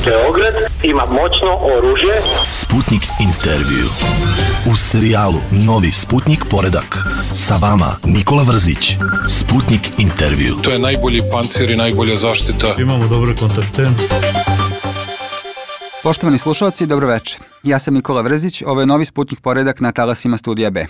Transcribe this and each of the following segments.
Beograd ima moćno oružje. Sputnik intervju. U serijalu Novi Sputnik poredak. Sa vama Nikola Vrzić. Sputnik intervju. To je najbolji pancir i najbolja zaštita. Imamo dobre kontakte. Poštovani slušalci, dobro večer. Ja sam Nikola Vrzić, ovo je Novi Sputnik poredak na talasima Studija B.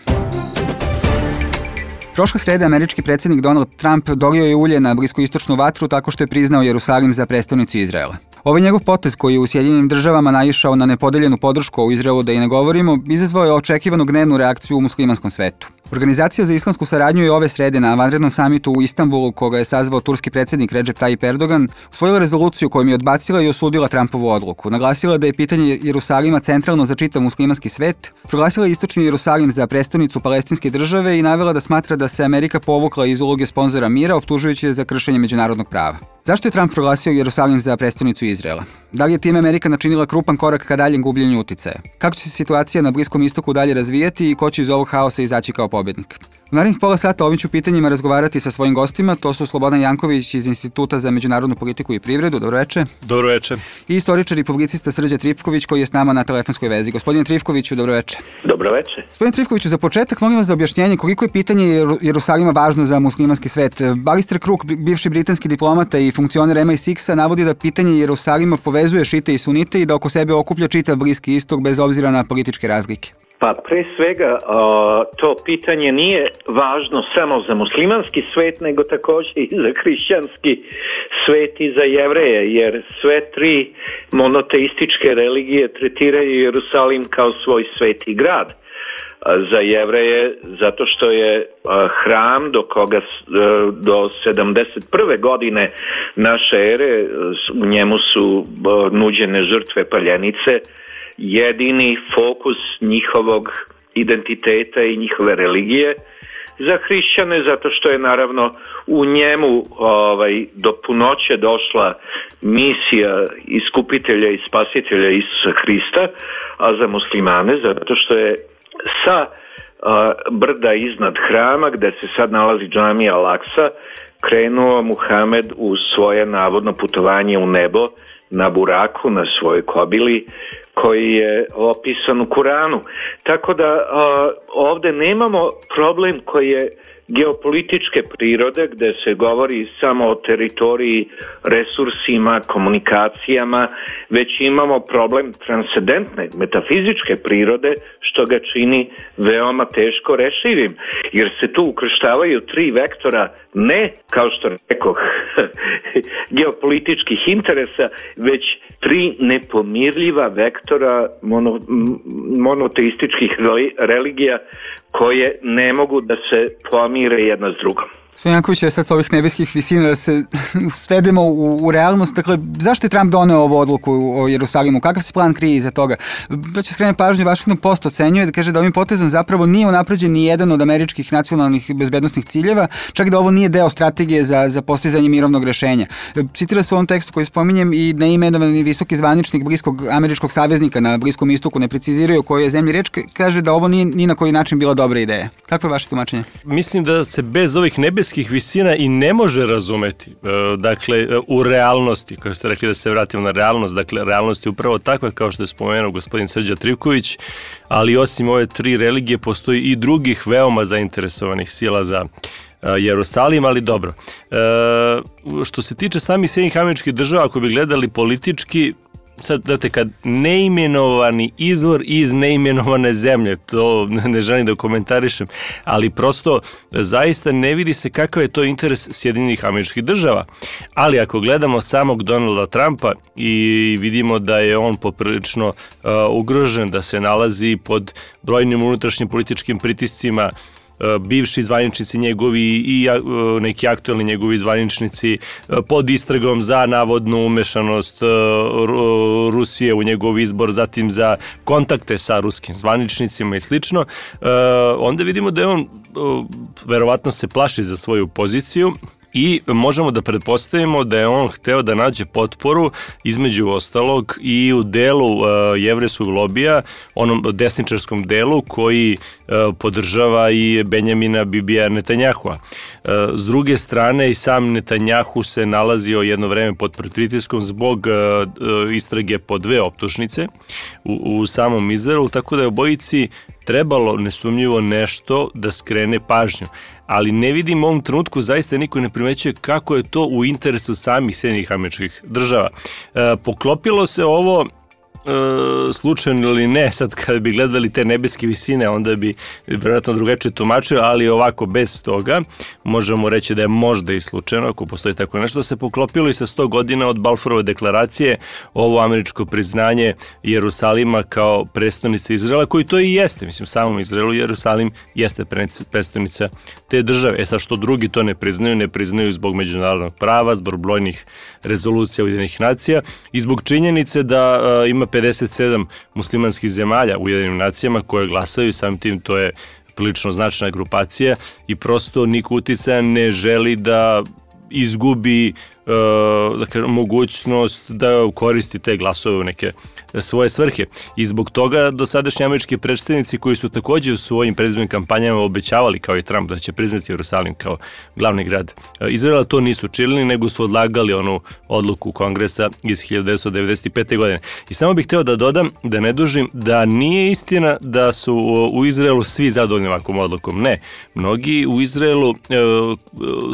Prošle srede američki predsjednik Donald Trump dolio je ulje na bliskoistočnu vatru tako što je priznao Jerusalim za prestonicu Izraela. Ovaj njegov potez koji je u Sjedinjenim državama naišao na nepodeljenu podršku u Izraelu, da i ne govorimo, izazvao je očekivanu gnevnu reakciju u muslimanskom svetu. Organizacija za islamsku saradnju je ove srede na vanrednom samitu u Istanbulu, koga je sazvao turski predsjednik Recep Tayyip Erdogan, usvojila rezoluciju kojom je odbacila i osudila Trumpovu odluku. Naglasila da je pitanje Jerusalima centralno za čitav muslimanski svet, proglasila istočni Jerusalim za prestonicu palestinske države i navela da smatra da se Amerika povukla iz uloge sponzora mira, optužujući je za kršenje međunarodnog prava. Zašto je Trump proglasio Jerusalim za prestonicu Izraela? Da li je time Amerika načinila krupan korak ka daljem gubljenju uticaja? Kako će se situacija na Bliskom istoku dalje razvijati i ko će iz ovog haosa izaći kao pobjednik? U narednih pola sata o ovim ću pitanjima razgovarati sa svojim gostima, to su Slobodan Janković iz Instituta za međunarodnu politiku i privredu. Dobro večer. Dobro večer. I istoričar i publicista Srđan Trifković koji je s nama na telefonskoj vezi. Gospodine Trifkoviću, dobro večer. Dobro večer. Gospodine Trifkoviću, za početak molim vas za objašnjenje koliko je pitanje Jerusalima važno za muslimanski svet. Alistair Crooke, bivši britanski diplomata i funkcioner MI6-a, navodi da pitanje Jerusalima povezuje šite i sunite i da oko sebe okuplja čitav Bliski istok bez obzira na političke razlike. Pa pre svega to pitanje nije važno samo za muslimanski svet, nego također i za hrišćanski svet i za Jevreje, jer sve tri monoteističke religije tretiraju Jerusalim kao svoj sveti grad. Za Jevreje zato što je hram do 71. godine naše ere, u njemu su nuđene žrtve paljenice, jedini fokus njihovog identiteta i njihove religije. Za hrišćane zato što je naravno u njemu do punoće došla misija iskupitelja i spasitelja Isusa Hrista, a za muslimane zato što je sa brda iznad hrama gdje se sad nalazi džamija Al-Aksa krenuo Muhamed u svoje navodno putovanje u nebo na buraku, na svojoj kobili, koji je opisan u Kuranu. Tako da ovdje nemamo problem koji je geopolitičke prirode, gdje se govori samo o teritoriji, resursima, komunikacijama, već imamo problem transcendentne, metafizičke prirode, što ga čini veoma teško rešivim, jer se tu ukrštavaju tri vektora, ne, kao što rekoh, geopolitičkih interesa, već tri nepomirljiva vektora monoteističkih religija koje ne mogu da se pomire jedna s drugom. Gospodin Janković, sad s ovih nebeskih visina da se svedemo u realnost. Dakle, zašto je Trump doneo ovu odluku o Jerusalimu? Kakav se plan krije iza toga? Da ću skrenuti pažnju, Washington Post ocenjuje da kaže da ovim potezom zapravo nije unapređen ni jedan od američkih nacionalnih bezbednosnih ciljeva, čak da ovo nije deo strategije za postizanje mirovnog rešenja. Citira se u ovom tekstu koji spominjem i neimenovani visoki zvaničnik bliskog američkog saveznika na Bliskom istoku, ne preciziraju koji je zemlji reč, kaže da ovo nije ni na koji način bila dobra ideja. Kako je vaše tumačenje? Mislim da se bez ovih nebeskih visina i ne može razumeti. Dakle, u realnosti, kako ste rekli da se vratimo na realnost, dakle, realnost je upravo takva kao što je spomenuo gospodin Srđan Trifković, ali osim ove tri religije postoji i drugih veoma zainteresovanih sila za Jerusalim, ali dobro. Što se tiče samih Sjedinjenih Američkih Država, ako bi gledali politički, sad, znate, kad neimenovani izvor iz neimenovane zemlje, to ne želim da komentarišem, ali prosto zaista ne vidi se kakav je to interes Sjedinjenih Američkih Država. Ali ako gledamo samog Donalda Trumpa i vidimo da je on poprilično ugrožen, da se nalazi pod brojnim unutrašnjim političkim pritiscima, bivši zvaničnici njegovi i neki aktualni njegovi zvaničnici pod istragom za navodnu umešanost Rusije u njegov izbor, zatim za kontakte sa ruskim zvaničnicima i slično, onda vidimo da je on verovatno se plaši za svoju poziciju i možemo da pretpostavimo da je on hteo da nađe potporu između ostalog i u delu jevrejskog lobija, onom desničarskom delu koji podržava i Benjamina Bibija Netanjahua. S druge strane i sam Netanjahu se nalazio jedno vreme pod pritiskom zbog istrage po 2 optužnice u samom Izraelu, tako da je obojici trebalo nesumnjivo nešto da skrene pažnju. Ali ne vidim u ovom trenutku, zaista niko ne primećuje kako je to u interesu samih Sjedinjenih Američkih Država. Poklopilo se ovo slučajno ili ne, sad kad bi gledali te nebeske visine, onda bi vjerojatno drugačije tumačio, ali ovako bez toga možemo reći da je možda i slučajno, ako postoji tako nešto, se poklopilo i sa 100 godina od Balfourove deklaracije ovo američko priznanje Jerusalima kao prestonice Izraela, koji to i jeste, mislim, samom Izraelu Jerusalim jeste prestonica te države. Sad što drugi to ne priznaju zbog međunarodnog prava, zbog brojnih rezolucija Ujedinjenih nacija i zbog činjenice da ima 57 muslimanskih zemalja u Ujedinjenim nacijama koje glasaju, samim tim to je prilično značajna grupacija i prosto niko uticaja ne želi da izgubi mogućnost da koristi te glasove u neke svoje svrhe. I zbog toga dosadašnji američki predstavnici koji su takođe u svojim predizbornim kampanjama obećavali, kao i Trump, da će priznati Jerusalim kao glavni grad Izraela, to nisu činili, nego su odlagali onu odluku Kongresa iz 1995. godine. I samo bih hteo da dodam, da ne dužim, da nije istina da su u Izraelu svi zadovoljni ovakvom odlukom. Ne. Mnogi u Izraelu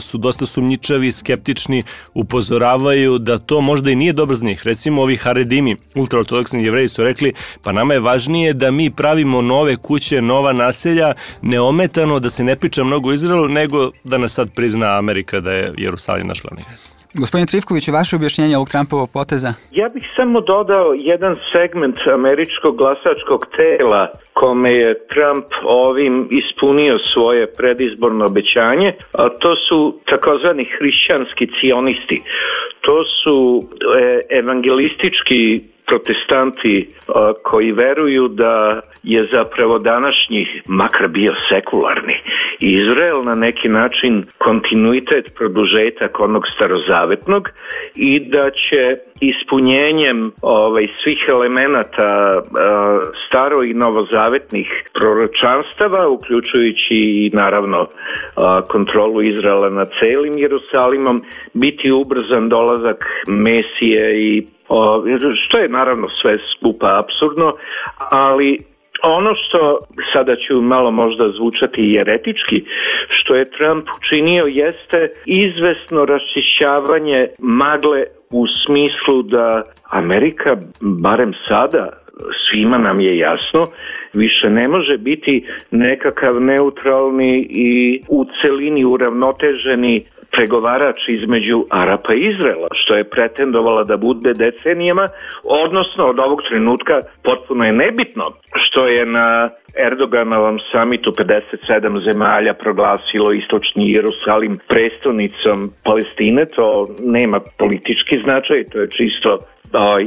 su dosta sumnjičavi, skeptični, upozoravaju da to možda i nije dobro za njih. Recimo ovi Haredimi, ultraortodoksni Jevreji su rekli, pa nama je važnije da mi pravimo nove kuće, nova naselja, neometano, da se ne priča mnogo o Izraelu, nego da nas sad prizna Amerika da je Jerusalim naš glavni grad. Gospodin Trifković, vaše objašnjenje ovog Trumpovog poteza? Ja bih samo dodao jedan segment američkog glasačkog tela kome je Trump ovim ispunio svoje predizborno obećanje, a to su takozvani hrišćanski cionisti. To su evangelistički protestanti koji veruju da je zapravo današnji, makar bio sekularni, Izrael na neki način kontinuitet, produžetak onog starozavetnog i da će ispunjenjem svih elemenata staro i novozavetnih proročanstava, uključujući i naravno kontrolu Izraela nad celim Jerusalimom, biti ubrzan dolazak Mesije i što je naravno sve skupa apsurdno, ali ono što, sada ću malo možda zvučati jeretički, što je Trump učinio jeste izvesno raščišćavanje magle u smislu da Amerika, barem sada, svima nam je jasno, više ne može biti nekakav neutralni i u celini uravnoteženi pregovarač između Arapa i Izraela, što je pretendovala da bude decenijama, odnosno od ovog trenutka potpuno je nebitno što je na Erdoganovom samitu 57 zemalja proglasilo istočni Jerusalim prestonicom Palestine, to nema politički značaj, to je čisto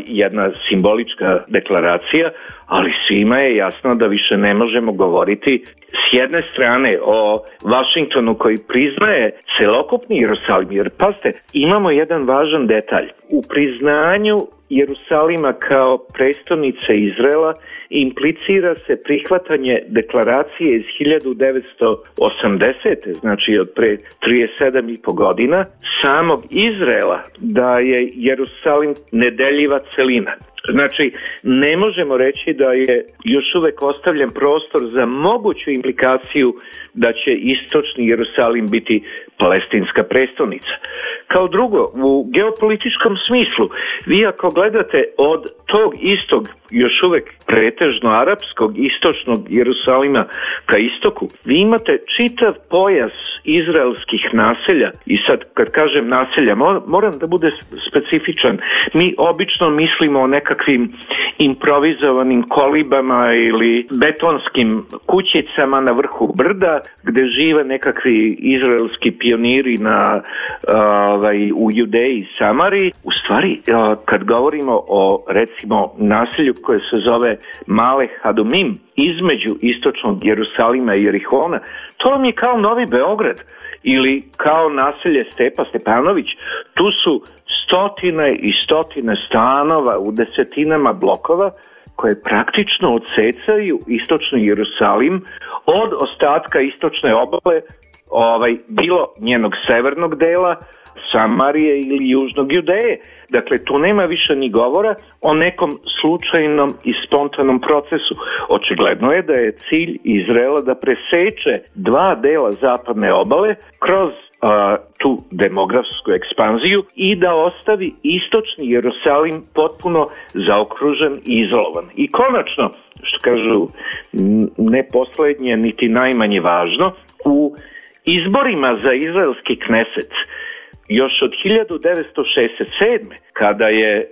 jedna simbolička deklaracija, ali svima je jasno da više ne možemo govoriti s jedne strane o Vašingtonu koji priznaje celokupni Jerusalim, jer pazite, imamo jedan važan detalj. U priznanju Jerusalima kao prestonice Izraela implicira se prihvatanje deklaracije iz 1980. znači od pre 37,5 godina samog Izraela da je Jerusalim nedeljiva celina. Znači, ne možemo reći da je još uvek ostavljen prostor za moguću implikaciju da će istočni Jerusalim biti palestinska prestonica. Kao drugo, u geopolitičkom smislu, vi ako gledate od tog istog, još uvek pretežno arapskog, istočnog Jerusalima ka istoku, vi imate čitav pojas izraelskih naselja i sad kad kažem naselja, moram da bude specifičan. Mi obično mislimo o nekakvim improvizovanim kolibama ili betonskim kućicama na vrhu brda gde žive nekakvi izraelski pioniri u Judeji i Samariji. U stvari, kad govorimo o recimo naselju koje se zove Male Hadumim između istočnog Jerusalima i Jerihona, to vam je kao Novi Beograd. ili kao naselje Stepa Stepanović, tu su stotine i stotine stanova u desetinama blokova koje praktično odsecaju istočni Jerusalim od ostatka istočne obale, bilo njenog severnog dela, Samarije ili južnog Judeje. Dakle, tu nema više ni govora o nekom slučajnom i spontanom procesu. Očigledno je da je cilj Izraela da preseče dva dela zapadne obale kroz tu demografsku ekspanziju i da ostavi istočni Jerusalim potpuno zaokružen i izolovan. I konačno, što kažu, ne poslednje niti najmanje važno, u izborima za izraelski kneset još od 1967. kada je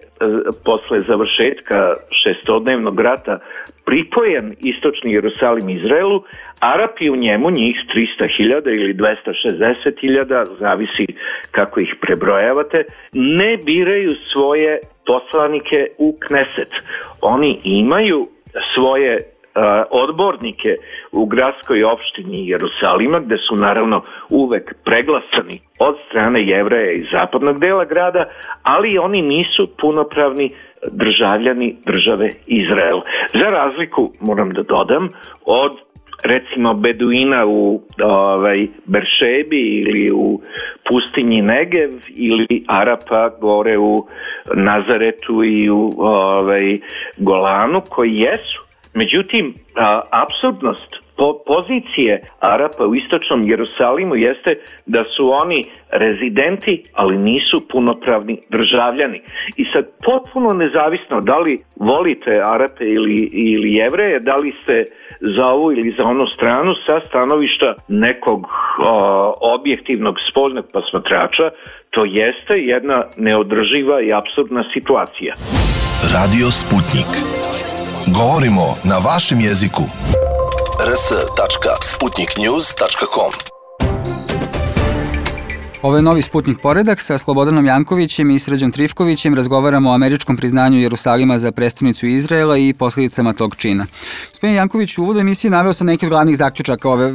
posle završetka šestodnevnog rata pripojen istočni Jerusalim Izraelu, Arapi u njemu, njih 300.000 ili 260.000, zavisi kako ih prebrojavate, ne biraju svoje poslanike u Kneset. Oni imaju svoje odbornike u gradskoj opštini Jerusalima, gde su naravno uvek preglasani od strane Jevreja iz zapadnog dela grada, ali oni nisu punopravni državljani države Izrael. Za razliku, moram da dodam, od recimo Beduina u Beršebi ili u pustinji Negev ili Arapa gore u Nazaretu i u Golanu, koji jesu. Međutim, apsurdnost pozicije Arapa u istočnom Jerusalimu jeste da su oni rezidenti, ali nisu punopravni državljani. I sad potpuno nezavisno da li volite Arape ili Jevreje, da li ste za ovu ili za onu stranu, sa stanovišta nekog objektivnog spoljnog posmatrača, to jeste jedna neodrživa i apsurdna situacija. Radio Sputnik. Govorimo na vašem jeziku. rs.sputniknews.com. Ovo je novi Sputnik poredak. Sa Slobodanom Jankovićem i Srđom Trifkovićem razgovaramo o američkom priznanju Jerusalima za prestonicu Izraela i posljedicama tog čina. Gospodin Janković, u uvodu emisije naveo sam neki od glavnih zaključaka ove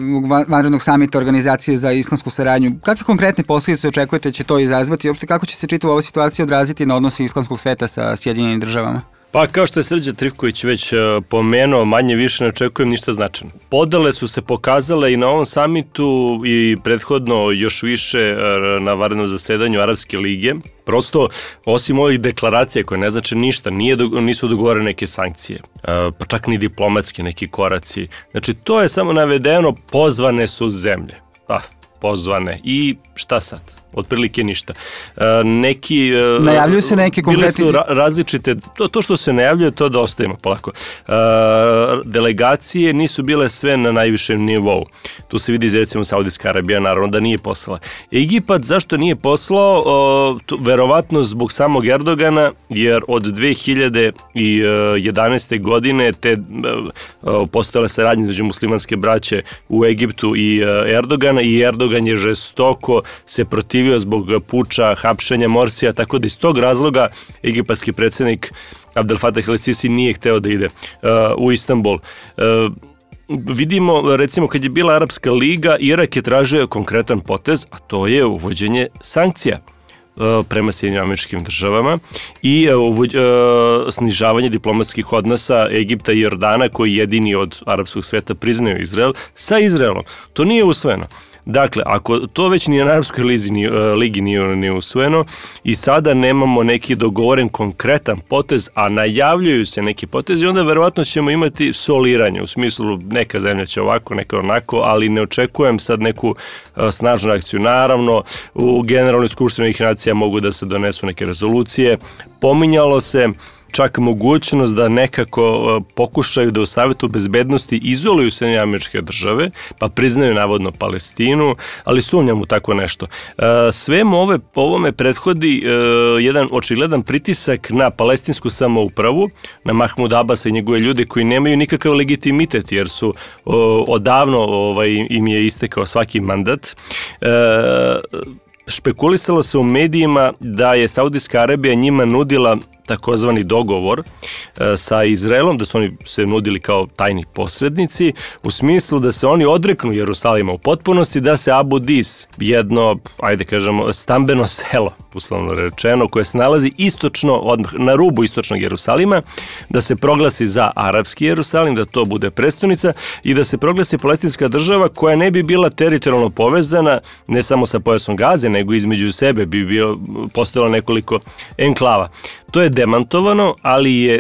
vanrednog samita Organizacije za islamsku saradnju. Kakve konkretne posljedice očekujete će to izazvati i uopšte kako će se čitava ova situacija odraziti na odnose islamskog sveta sa Sjedinjenim državama? Pa kao što je Srđan Trifković već pomenuo, manje više ne očekujem ništa značajno. Podele su se pokazale i na ovom samitu i prethodno još više na vanrednom zasedanju Arapske lige. Prosto, osim ovih deklaracija koje ne znači ništa, nisu dogovorene neke sankcije, pa čak ni diplomatski neki koraci. Znači, to je samo navedeno, pozvane su zemlje. Pozvane. I šta sad? Otprilike ništa. Najavljuju se neki konkretni... Bile su različite, to što se najavljuje, to da ostavimo polako. Delegacije nisu bile sve na najvišem nivou. Tu se vidi, recimo, Saudijska Arabija, naravno da nije poslala. Egipat, zašto nije poslao? Verovatno zbog samog Erdogana, jer od 2011. godine postojala saradnja između muslimanske braće u Egiptu i Erdogana, i Erdogan je žestoko se protivio zbog puča, hapšenja Morsija, tako da iz tog razloga egipatski predsjednik Abdel Fattah el-Sisi nije hteo da ide u Istanbul. Vidimo, recimo, kad je bila Arapska liga, Irak je tražio konkretan potez, a to je uvođenje sankcija prema Sjedinjenim Američkim Državama i snižavanje diplomatskih odnosa Egipta i Jordana, koji jedini od arapskog sveta priznaju Izrael, sa Izraelom. To nije usvojeno. Dakle, ako to već ni na Arapskoj ligi nije usvojeno i sada nemamo neki dogovoren konkretan potez, a najavljuju se neki potezi, onda verovatno ćemo imati soliranje, u smislu neka zemlja će ovako, neka onako, ali ne očekujem sad neku snažnu akciju. Naravno, u Generalnoj skupštini Ujedinjenih nacija mogu da se donesu neke rezolucije. Pominjalo se čak mogućnost da nekako pokušaju da u Savetu bezbednosti izoluju Sjedinjene Američke Države, pa priznaju navodno Palestinu, ali sumnjam u tako nešto. Svemu ovome prethodi jedan očigledan pritisak na palestinsku samoupravu, na Mahmud Abasa i njegove ljude koji nemaju nikakav legitimitet, jer su odavno im je istekao svaki mandat. Špekulisalo se u medijima da je Saudijska Arabija njima nudila takozvani dogovor sa Izraelom, da su oni se nudili kao tajni posrednici, u smislu da se oni odreknu Jerusalima u potpunosti, da se Abu Dis, jedno, ajde kažemo, stambeno selo, uslovno rečeno, koje se nalazi istočno, odmah na rubu istočnog Jerusalima, da se proglasi za arapski Jerusalim, da to bude prestonica i da se proglasi palestinska država koja ne bi bila teritorijalno povezana ne samo sa pojasom Gaze, nego između sebe bi postojalo nekoliko enklava. To je demantovano, ali je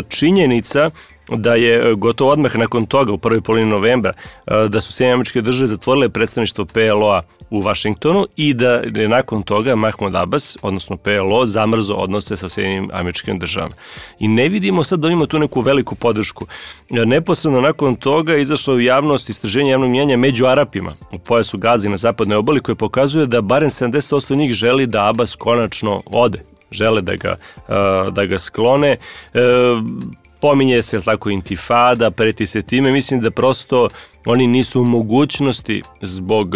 činjenica da je gotovo odmah nakon toga, u prvoj polovini novembra, da su Sjedinjene Američke Države zatvorile predstavništvo PLO-a u Vašingtonu i da je nakon toga Mahmud Abbas, odnosno PLO, zamrzo odnose sa Sjedinjenim Američkim Državama. I ne vidimo sad da ima tu neku veliku podršku. Neposredno nakon toga izašlo u javnost istraženje javnog mnijenja među Arapima u pojasu Gaze na zapadnoj obali, koje pokazuje da barem 70% njih želi da Abbas konačno ode. Žele da ga sklone. Pominje se tako intifada, preti se time. Mislim da prosto oni nisu u mogućnosti zbog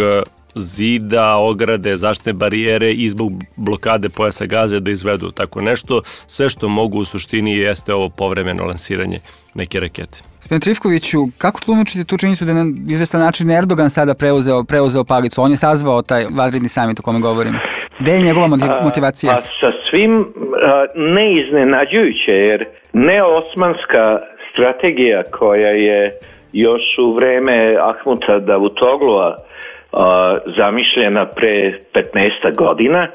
zida, ograde, zaštitne barijere i zbog blokade pojasa Gaze da izvedu tako nešto. Sve što mogu u suštini jeste ovo povremeno lansiranje neke rakete. Gospodin Trifkoviću, kako tlumačite tu činjenicu da je na izvestan način Erdogan sada preuzeo palicu? On je sazvao taj vanredni samit o kome govorimo. Gde je njegova motivacija? Pa sa svim neiznenađujuće, jer neosmanska strategija koja je još u vreme Ahmuta Davutoglua zamišljena pre 15 godina,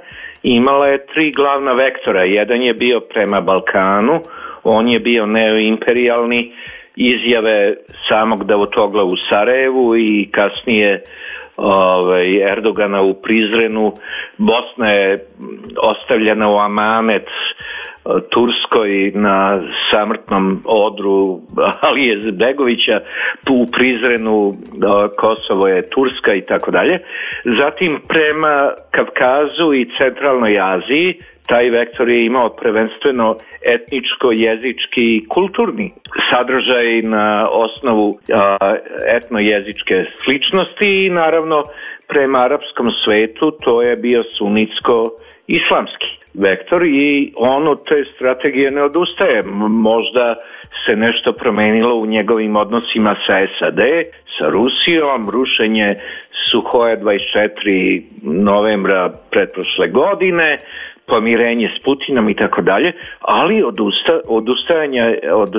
imala je 3 glavna vektora. Jedan je bio prema Balkanu, on je bio neoimperijalni, izjave samog Davutogla u Sarajevu i kasnije Erdogana u Prizrenu. Bosna je ostavljena u amanet Turskoj na samrtnom odru Alije Izetbegovića, u Prizrenu Kosovo je Turska i tako dalje. Zatim prema Kavkazu i Centralnoj Aziji taj vektor je imao prvenstveno etničko, jezički i kulturni sadržaj na osnovu etnojezičke sličnosti i naravno prema arapskom svetu to je bio sunitsko-islamski vektor i on od te strategije ne odustaje. Možda se nešto promenilo u njegovim odnosima sa SAD, sa Rusijom, rušenje Suhoja 24 novembra pretprošle godine, pomirenje s Putinom i tako dalje, ali odustajanje od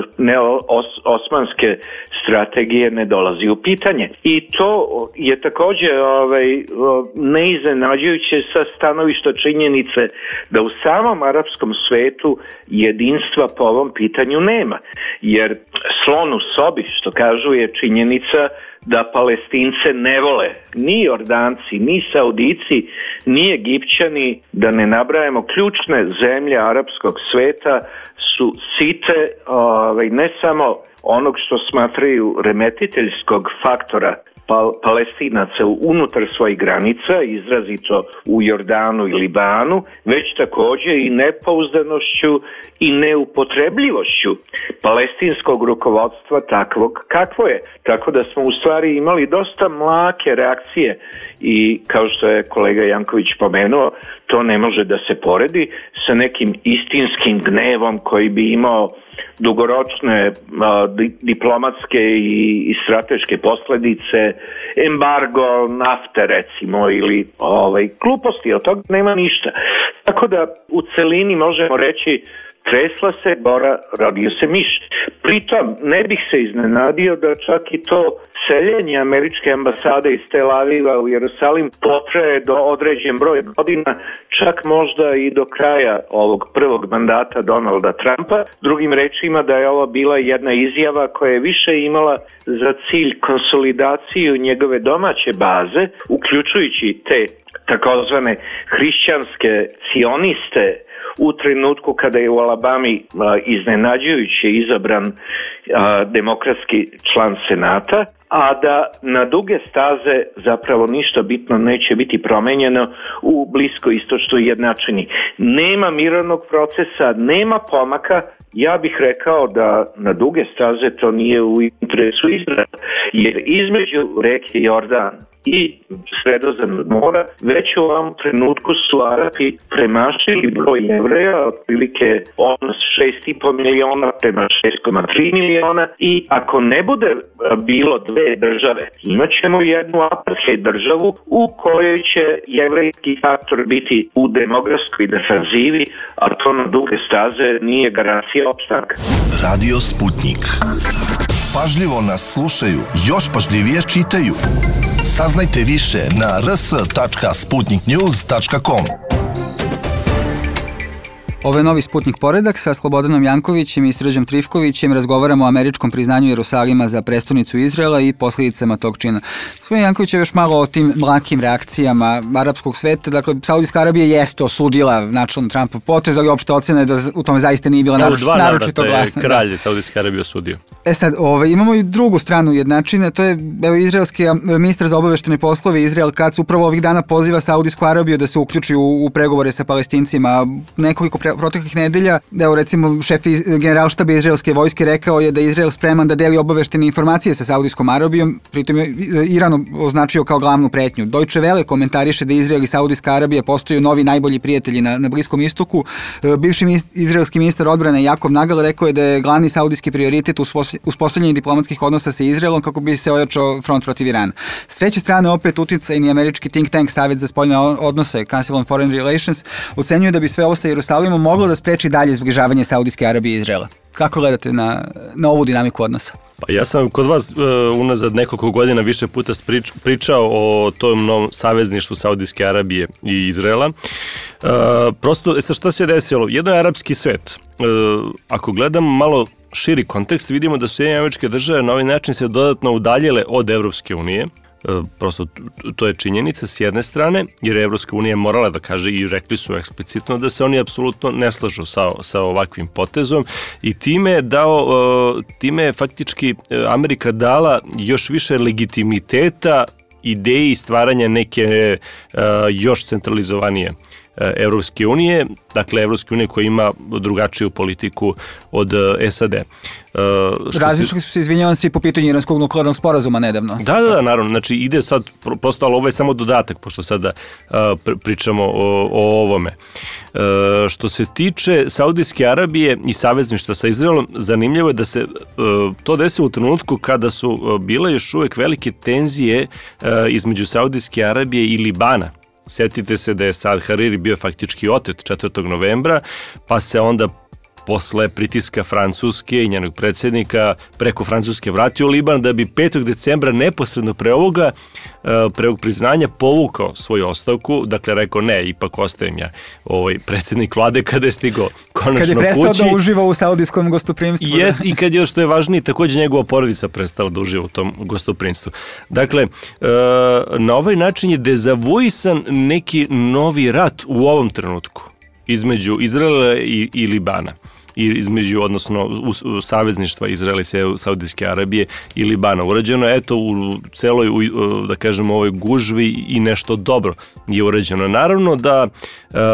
osmanske strategije ne dolazi u pitanje. I to je također neiznenađujuće sa stanovišta činjenice da u samom arapskom svetu jedinstva po ovom pitanju nema. Jer slon u sobi, što kažu, je činjenica da Palestince ne vole ni Jordanci, ni Saudici, ni Egipćani, da ne nabrajamo ključne zemlje arapskog sveta, su site ne samo onog što smatraju remetiteljskog faktora Palestinaca unutar svojih granica, izrazito u Jordanu i Libanu, već također i nepouzdanošću i neupotrebljivošću palestinskog rukovodstva takvog kakvo je. Tako da smo u stvari imali dosta mlake reakcije i kao što je kolega Janković pomenuo, to ne može da se poredi sa nekim istinskim gnevom koji bi imao dugoročne diplomatske i strateške posljedice, embargo nafte recimo ili gluposti, od toga nema ništa. Tako da u celini možemo reći tresla se gora, rodio se miš. Pritom ne bih se iznenadio da čak i to seljenje američke ambasade iz Tel Aviva u Jerusalim potraje do određen broj godina, čak možda i do kraja ovog prvog mandata Donalda Trumpa. Drugim rečima da je ovo bila jedna izjava koja je više imala za cilj konsolidaciju njegove domaće baze, uključujući te takozvane hrišćanske sioniste u trenutku kada je u Alabami iznenađujuće izabran demokratski član Senata, a da na duge staze zapravo ništa bitno neće biti promenjeno u bliskoistočnoj jednačini. Nema mirovnog procesa, nema pomaka. Ja bih rekao da na duge staze to nije u interesu Izraela, jer između reke Jordan i Sredozemnog mora, već u ovom trenutku su Arapi premašili broj Jevreja, otprilike odnos 6,5 miliona prema 6,3 miliona i ako ne bude bilo dve države, imat ćemo jednu apartheid državu u kojoj će jevrejski faktor biti u demografskoj defanzivi, a to na duge staze nije garancija opstanka. Radio Sputnik. Pažljivo nas slušaju, još pažljivije čitaju. Saznajte više na rs.sputniknews.com. Ovo je novi Sputnik poredak sa Slobodanom Jankovićem i Srđom Trifkovićem. Razgovaramo o američkom priznanju Jerusalima za prestonicu Izraela i posljedicama tog čina. Gospodin Janković je još malo o tim mlakim reakcijama arapskog sveta. Dakle, Saudijska Arabija jeste osudila načelno Trumpov potez, ali opšte ocena je da u tome zaista nije bila naročito glasna. Kralj Saudijske Arabije osudio. Sad, imamo i drugu stranu jednačine, to je izraelski ministar za obaveštene poslove Izrael Katz upravo ovih dana poziva Saudijsku Arabiju da se uključi u pregovore sa Palestincima. Nekoliko proteklih nedelja, recimo šef generalštaba izraelske vojske rekao je da je Izrael spreman da deli obaveštene informacije sa Saudijskom Arabijom, pritom je Iran označio kao glavnu pretnju. Deutsche Welle komentariše da Izrael i Saudijska Arabija postaju novi najbolji prijatelji na Bliskom istoku. Bivši izraelski ministar odbrane Jakov Nagal rekao je da je glavni saudijski prioritet uspostavljanje diplomatskih odnosa sa Izraelom kako bi se ojačao front protiv Irana. S treće strane opet uticajni američki think tank Savet za spoljne odnose Council on Foreign Relations ocenjuje da bi sve ovo sa Jerusalimom moglo da spreči dalje zbližavanje Saudijske Arabije i Izraela. Kako gledate na ovu dinamiku odnosa? Pa ja sam kod vas unazad nekoliko godina više puta pričao o tom novom savezništvu Saudijske Arabije i Izraela. Prosto, što se desilo? Jedno je arapski svet. Ako gledamo malo širi kontekst, vidimo da su Sjedinjene Američke Države na ovaj način se dodatno udaljile od Evropske unije. Prosto to je činjenica s jedne strane, jer Evropska unija morala da kaže i rekli su eksplicitno da se oni apsolutno ne slažu sa ovakvim potezom i time je faktički Amerika dala još više legitimiteta ideji stvaranja neke još centralizovanije Evropske unije, dakle Evropske unije koja ima drugačiju politiku od SAD. Različili su se, izvinjavam se, i po pitanju iranskog nuklearnog sporazuma nedavno. Da, naravno. Znači ide sad, prosto, ali ovo je samo dodatak, pošto sada pričamo o ovome. Što se tiče Saudijske Arabije i savezništva sa Izraelom, zanimljivo je da se to desilo u trenutku kada su bile još uvek velike tenzije između Saudijske Arabije i Libana. Sjetite se da je Saad Hariri bio faktički otet 4. novembra, pa se onda posle pritiska Francuske i njenog predsjednika preko Francuske vratio Liban, da bi 5. decembra neposredno pre ovog priznanja povukao svoju ostavku, dakle rekao ne, ipak ostajem ja predsjednik vlade kada je stigao konačno kući. Kad je prestao da uživa u saudijskom gostoprimstvu. Jest, i kad je, što je važnije, također njegova porodica prestala da uživa u tom gostoprimstvu. Dakle, na ovaj način je dezavuisan neki novi rat u ovom trenutku između Izraela i Libana. Odnosno savezništva Izraela i Saudijske Arabije i Libana. Urađeno je u celoj, da kažemo, ovoj gužvi i nešto dobro je urađeno. Naravno da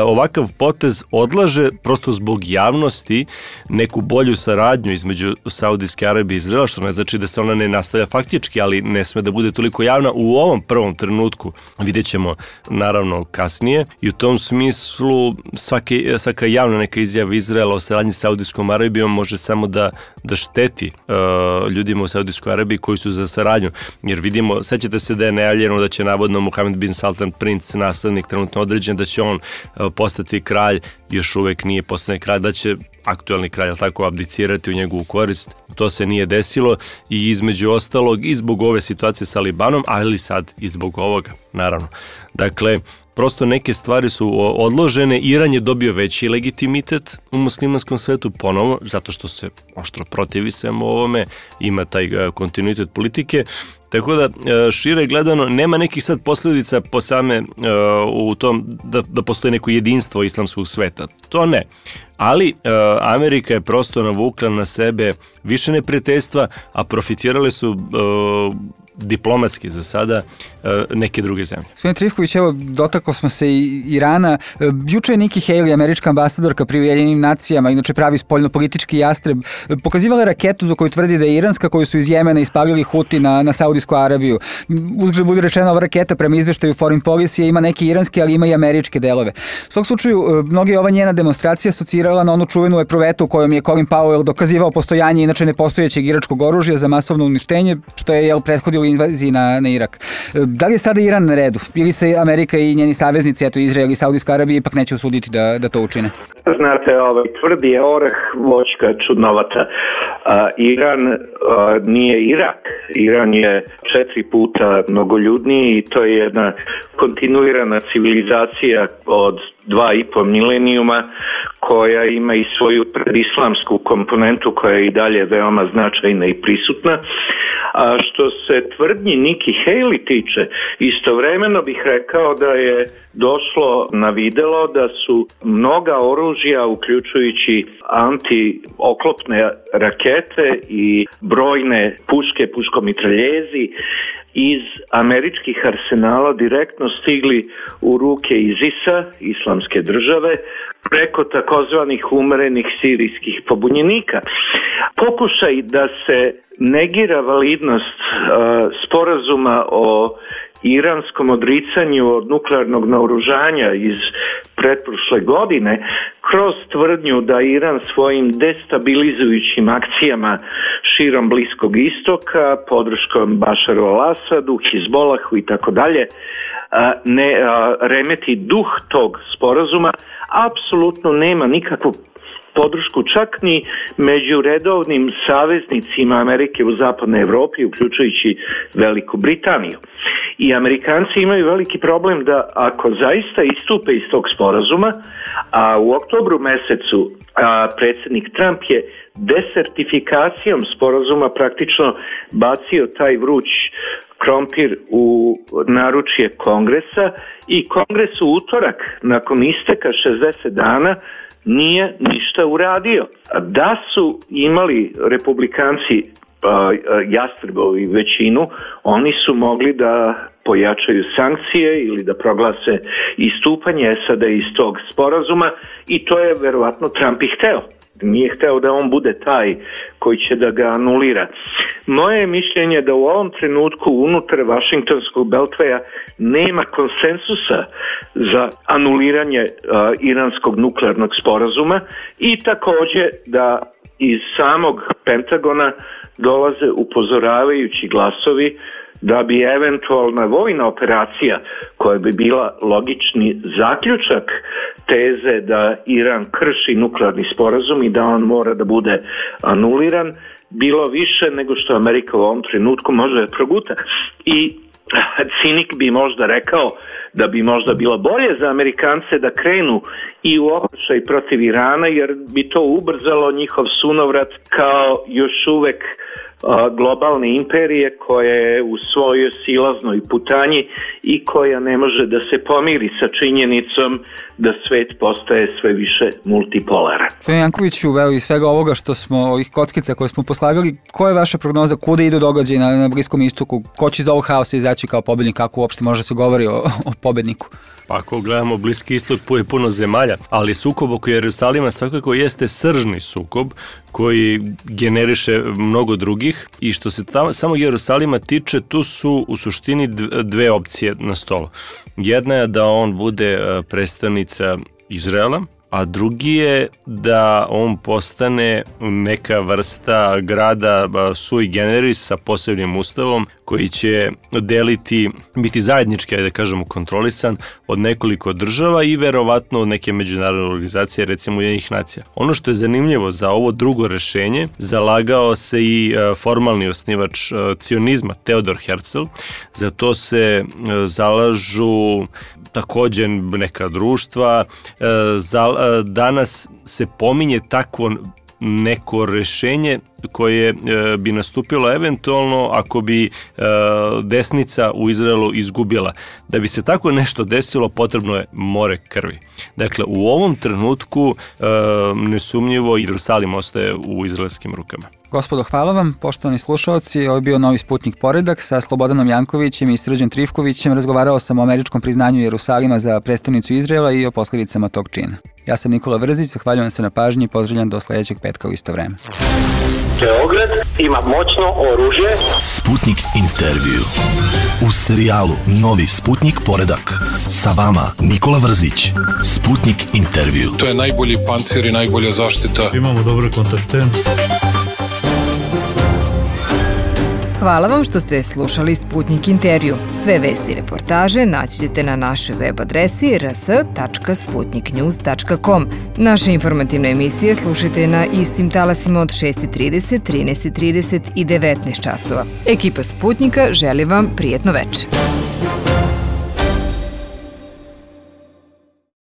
ovakav potez odlaže prosto zbog javnosti neku bolju saradnju između Saudijske Arabije i Izraela, što ne znači da se ona ne nastavlja faktički, ali ne sme da bude toliko javna u ovom prvom trenutku. Vidjet ćemo naravno kasnije i u tom smislu svaka javna neka izjava Izraela o saradnji sa Saudijskom Arabijom može samo da šteti ljudima u Saudijskoj Arabiji koji su za saradnju. Jer vidimo, sećate se da je najavljeno da će navodno Mohamed bin Salman, princ, naslednik trenutno određen, da će on postati kralj, još uvek nije postane kralj, da će aktuelni kralj tako abdicirati u njegovu korist. To se nije desilo i između ostalog i zbog ove situacije sa Libanom, ali sad i zbog ovoga, naravno. Dakle, prosto neke stvari su odložene. Iran je dobio veći legitimitet u muslimanskom svetu ponovo, zato što se oštro protivi svemu ovome, ima taj kontinuitet politike. Tako da, šire gledano, nema nekih sad posljedica po same u tom da postoji neko jedinstvo islamskog sveta. To ne. Ali Amerika je prosto navukla na sebe više neprijateljstva, a profitirale su diplomatski za sada neke druge zemlje. Gospodin Trifković, evo, dotakao smo se i Irana. Juče je Nikki Haley, američka ambasadorka pri Ujedinjenim nacijama, inače pravi spoljnopolitički jastreb, pokazivala raketu za koju tvrdi da je iranska, koju su iz Jemena ispalili Huti na Saudijsku Arabiju. Uzgled bude rečeno, ova raketa prema izveštaju Foreign Policy ima neke iranske, ali ima i američke delove. U svog slučaju, mnogi ova njena demonstracija asocirala na onu čuvenu epruvetu u kojom je Colin Powell dokazivao postojanje inače nepostojećeg iračkog oružja za masovno uništenje, što je prethodilo invaziji na Irak. Da li je sada Iran na redu? Ili se Amerika i njeni saveznici, eto Izrael i Saudijska Arabija, ipak neće usuditi da to učine? Znate, tvrdi je orah, voćka čudnovata. Iran nije Irak. Iran je 4 puta mnogoljudniji i to je jedna kontinuirana civilizacija od 2,5 milenijuma koja ima i svoju predislamsku komponentu koja je i dalje veoma značajna i prisutna. A što se tvrdnji Nikki Haley tiče, istovremeno bih rekao da je došlo na videlo da su mnoga oružja, uključujući antioklopne rakete i brojne puške, puškomitraljezi, iz američkih arsenala direktno stigli u ruke ISIS-a, Islamske države, preko takozvanih umerenih sirijskih pobunjenika. Pokušaj da se negira validnost sporazuma o iranskom odricanju od nuklearnog naoružanja iz pretprošle godine kroz tvrdnju da Iran svojim destabilizujućim akcijama širom Bliskog istoka, podrškom Bašaru al-Asadu, Hizbolahu i tako dalje, ne remeti duh tog sporazuma, apsolutno nema nikakvu podršku čak ni među redovnim saveznicima Amerike u zapadnoj Evropi, uključujući Veliku Britaniju. I Amerikanci imaju veliki problem da ako zaista istupe iz tog sporazuma, a u oktobru mesecu predsjednik Trump je desertifikacijom sporazuma praktično bacio taj vruć krompir u naručje Kongresa i Kongres u utorak nakon isteka 60 dana nije ništa uradio. Da su imali republikanci jastrebovi većinu, oni su mogli da pojačaju sankcije ili da proglase istupanje SAD iz tog sporazuma i to je verovatno Trump i hteo. Nije hteo da on bude taj koji će da ga anulira. Moje je mišljenje da u ovom trenutku unutar Vašingtonskog beltveja nema konsensusa za anuliranje iranskog nuklearnog sporazuma i također da iz samog Pentagona dolaze upozoravajući glasovi da bi eventualna vojna operacija koja bi bila logični zaključak teze da Iran krši nuklearni sporazum i da on mora da bude anuliran, bilo više nego što Amerika u ovom trenutku može proguta. I cinik bi možda rekao da bi možda bilo bolje za Amerikance da krenu i u okršaj protiv Irana, jer bi to ubrzalo njihov sunovrat kao još uvek globalne imperije koja je u svojoj silaznoj putanji i koja ne može da se pomiri sa činjenicom da svet postaje sve više multipolaran. Gospodin Jankoviću, iz svega ovoga što smo, ovih kockica koje smo poslagali, koja je vaša prognoza, kuda idu događaji na Bliskom istoku? Ko će iz ovog haosa izaći kao pobednik, kako uopšte može se govori o pobedniku? Pa ako gledamo Bliski istok, je puno zemalja, ali sukob oko Jerusalima svakako jeste sržni sukob koji generiše mnogo drugih i što se samo Jerusalima tiče, tu su u suštini dve opcije na stolu. Jedna je da on bude predstavnica Izraela, a drugi je da on postane neka vrsta grada sui generis sa posebnim ustavom koji će biti zajednički, da kažemo, kontrolisan od nekoliko država i verovatno od neke međunarodne organizacije, recimo Ujedinjenih nacija. Ono što je zanimljivo za ovo drugo rešenje, zalagao se i formalni osnivač cionizma Teodor Herzl, za to se zalažu također neka društva. Danas se pominje takvo neko rešenje koje bi nastupilo eventualno ako bi desnica u Izraelu izgubila. Da bi se tako nešto desilo, potrebno je more krvi. Dakle, u ovom trenutku nesumnjivo Jerusalim ostaje u izraelskim rukama. Gospodo, hvala vam. Poštovani slušaoci, ovo je bio Novi Sputnik Poredak sa Slobodanom Jankovićem i Srđan Trifkovićem. Razgovarao sam o američkom priznanju Jerusalima za prestonicu Izraela i o posledicama tog čina. Ja sam Nikola Vrzić, zahvaljujem se na pažnji i pozdravljam do sledećeg petka u isto vreme. Beograd ima moćno oružje. Sputnik intervju. U serijalu Novi Sputnik Poredak. Sa vama Nikola Vrzić. Sputnik intervju. To je najbolji pancir i najbolja zaštita. Imamo dobre kontakte. Hvala vam što ste slušali Sputnik intervju. Sve vesti i reportaže naći ćete na našoj web adresi rs.sputniknews.com. Naše informativne emisije slušajte na istim talasima od 6:30, 13:30 i 19 časova. Ekipa Sputnika želi vam prijetno večer.